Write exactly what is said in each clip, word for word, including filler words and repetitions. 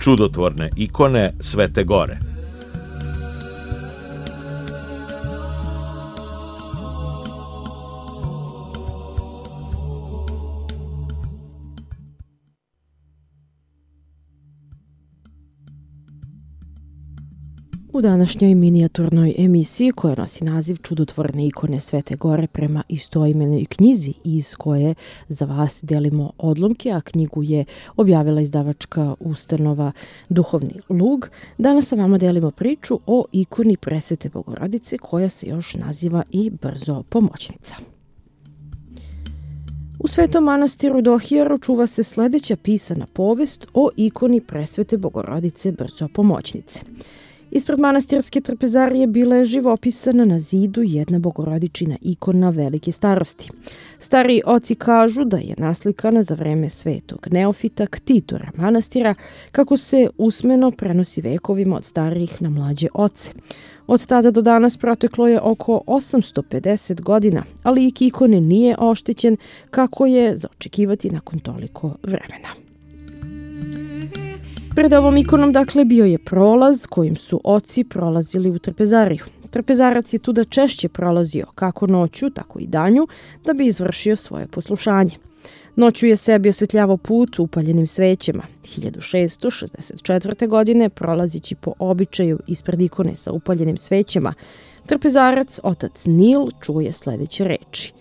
čudotvorne ikone Svete Gore. U današnjoj minijaturnoj emisiji koja nosi naziv Čudotvorne ikone Svete Gore prema istoimenoj knjizi iz koje za vas delimo odlomke, a knjigu je objavila izdavačka ustanova Duhovni lug, danas sa vama delimo priču o ikoni Presvete Bogorodice koja se još naziva i Brzo pomoćnica. U Svetom manastiru Dohijaru čuva se sledeća pisana povest o ikoni Presvete Bogorodice Brzo pomoćnice. Ispred manastirske trpezarije bila je živopisana na zidu jedna bogorodičina ikona velike starosti. Stariji oci kažu da je naslikana za vreme svetog Neofita Ktitora manastira, kako se usmeno prenosi vekovima od starijih na mlađe oce. Od tada do danas proteklo je oko osamsto pedeset godina, a lik ikone nije oštećen kako je za očekivati nakon toliko vremena. Pred ovom ikonom, dakle, bio je prolaz kojim su oci prolazili u trpezariju. Trpezarac je tuda češće prolazio kako noću, tako i danju, da bi izvršio svoje poslušanje. Noću je sebi osvetljavao put upaljenim svećama. hiljadu šeststo šezdeset četvrte. godine, prolazići po običaju ispred ikone sa upaljenim svećama, trpezarac, otac Nil, čuje sledeće reči.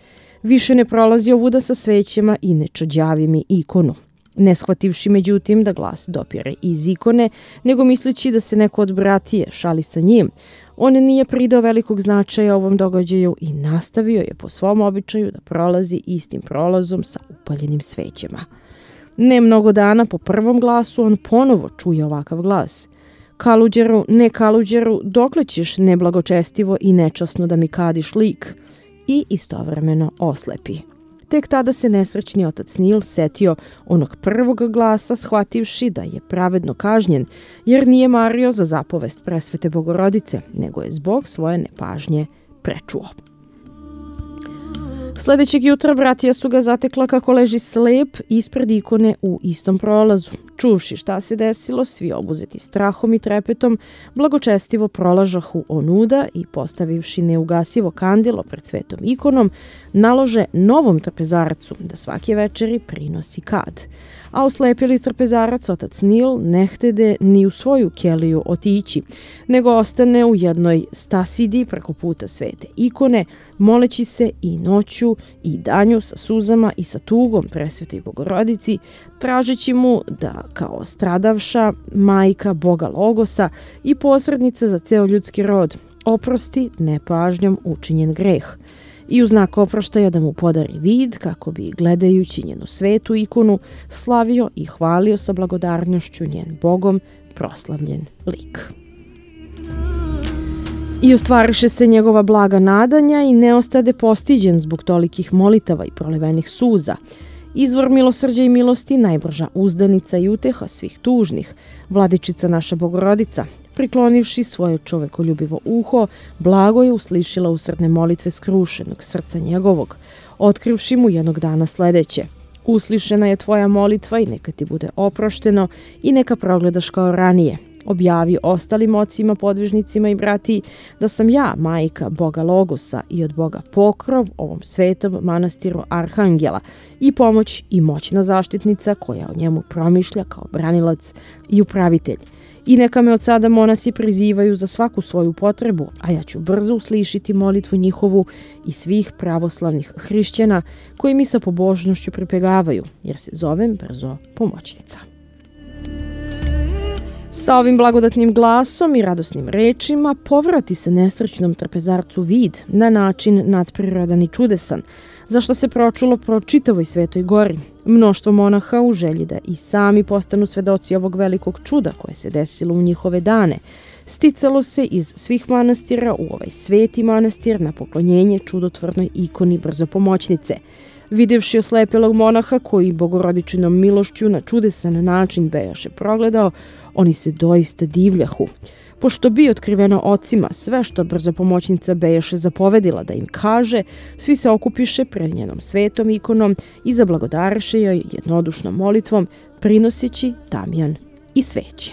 Više ne prolazi ovuda sa svećama i ne čađavi mi ikonu. Ne shvativši međutim da glas dopire iz ikone, nego misleći da se neko od bratije šali sa njim, on nije pridao velikog značaja ovom događaju i nastavio je po svom običaju da prolazi istim prolazom sa upaljenim svećama. Ne mnogo dana po prvom glasu on ponovo čuje ovakav glas. Kaluđeru, ne kaluđeru, dokle ćeš neblagočestivo i nečasno da mi kadiš lik? I istovremeno oslepi. Tek tada se nesrećni otac Nil setio onog prvog glasa, shvativši da je pravedno kažnjen, jer nije mario za zapovest Presvete Bogorodice, nego je zbog svoje nepažnje prečuo. Sledećeg jutra bratija su ga zatekla kako leži slep ispred ikone u istom prolazu. Čuvši šta se desilo, svi obuzeti strahom i trepetom, blagočestivo prolažahu onuda i postavivši neugasivo kandilo pred svetom ikonom, nalože novom trpezarcu da svake večeri prinosi kad. A oslepili trpezarac, otac Nil, ne htede ni u svoju keliju otići, nego ostane u jednoj stasidi preko puta svete ikone, moleći se i noću i danju sa suzama i sa tugom Presvetoj Bogorodici, tražeći mu da kao stradavša majka Boga Logosa i posrednica za ceo ljudski rod oprosti nepažnjom učinjen greh i u znak oproštaja da mu podari vid kako bi, gledajući njenu svetu ikonu, slavio i hvalio sa blagodarnošću njen Bogom proslavljen lik. I ostvariše se njegova blaga nadanja i ne ostade postiđen zbog tolikih molitava i prolivenih suza. Izvor milosrđa i milosti, najbrža uzdanica i uteha svih tužnih, vladičica naša Bogorodica, priklonivši svoje čovekoljubivo uho, blago je uslišila usrdne molitve skrušenog srca njegovog, otkrivši mu jednog dana sledeće. Uslišena je tvoja molitva i neka ti bude oprošteno i neka progledaš kao ranije. Objavi ostalim ocima, podvižnicima i bratiji da sam ja, majka Boga Logosa i od Boga pokrov ovom svetom manastiru Arhangela i pomoć i moćna zaštitnica koja o njemu promišlja kao branilac i upravitelj. I neka me od sada monasi prizivaju za svaku svoju potrebu, a ja ću brzo uslišiti molitvu njihovu i svih pravoslavnih hrišćana koji mi sa pobožnošću pripegavaju, jer se zovem Brzo pomoćnica. Sa ovim blagodatnim glasom i radosnim rečima povrati se nesrećnom trpezarcu vid na način nadprirodan i čudesan, za što se pročulo pro čitavoj Svetoj Gori. Mnoštvo monaha u želji da i sami postanu svedoci ovog velikog čuda koje se desilo u njihove dane, sticalo se iz svih manastira u ovaj sveti manastir na poklonjenje čudotvornoj ikoni Brzo pomoćnice. Videvši oslepelog monaha koji bogorodičinom milošću na čudesan način bejaše progledao, oni se doista divljahu. Pošto bi otkriveno ocima sve što Brzo pomoćnica bejaše zapovedila da im kaže, svi se okupiše pred njenom svetom ikonom i zablagodareše joj jednodušnom molitvom, prinoseći tamjan i sveće.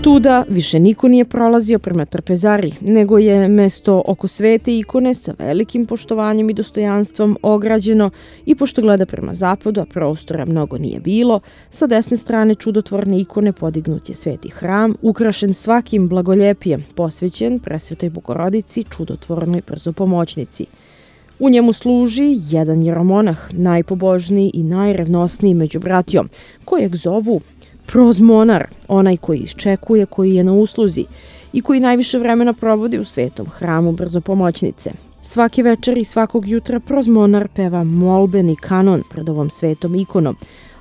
Tuda više niko nije prolazio prema trpezari, nego je mesto oko svete ikone sa velikim poštovanjem i dostojanstvom ograđeno i pošto gleda prema zapadu, a prostora mnogo nije bilo, sa desne strane čudotvorne ikone podignut je sveti hram, ukrašen svakim blagoljepijem, posvećen presvetoj Bogorodici, čudotvornoj brzopomoćnici. U njemu služi jedan jeromonah, najpobožniji i najrevnosniji među bratijom, kojeg zovu prozmonar, onaj koji iščekuje, koji je na usluzi i koji najviše vremena provodi u svetom hramu brzopomoćnice. Svake večeri i svakog jutra prozmonar peva molbeni kanon pred ovom svetom ikonom,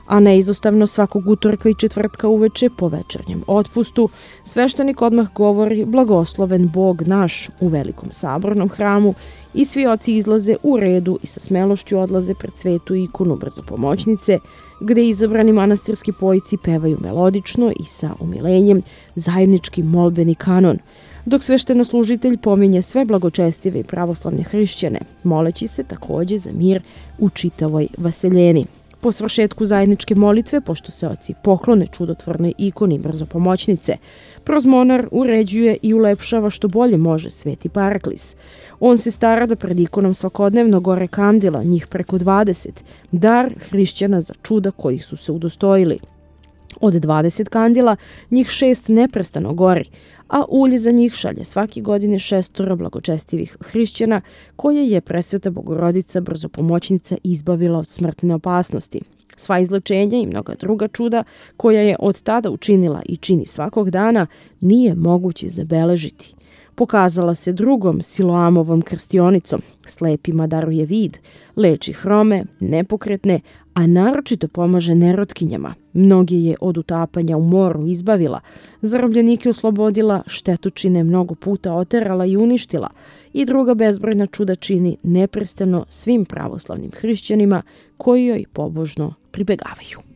a neizostavno svakog utorka i četvrtka uveče po večernjem otpustu sveštenik odmah govori blagosloven Bog naš u velikom sabornom hramu i svi oci izlaze u redu i sa smelošću odlaze pred svetu ikonu brzopomoćnice, gde izabrani manastirski pojici pevaju melodično i sa umilenjem zajednički molbeni kanon, dok sveštenoslužitelj pominje sve blagočestive i pravoslavne hrišćane, moleći se takođe za mir u čitavoj vaseljeni. Po svršetku zajedničke molitve, pošto se oci poklone čudotvornoj ikoni brzopomoćnice, prozmonar uređuje i ulepšava što bolje može sveti paraklis. On se stara da pred ikonom svakodnevno gore kandila, njih preko dvadeset, dar hrišćana za čuda kojih su se udostojili. Od dvadeset kandila, njih šest neprestano gori, a ulje za njih šalje svake godine šestoro blagočestivih hrišćana koje je presveta Bogorodica brzopomoćnica izbavila od smrtne opasnosti. Sva izlečenja i mnoga druga čuda koja je od tada učinila i čini svakog dana nije moguće zabeležiti. Pokazala se drugom Siloamovom krstionicom, slepima daruje vid, leči hrome, nepokretne, a naročito pomaže nerotkinjama. Mnogi je od utapanja u moru izbavila, zarobljenike oslobodila, štetočine mnogo puta oterala i uništila i druga bezbrojna čuda čini neprestano svim pravoslavnim hrišćanima koji joj pobožno pribegavaju.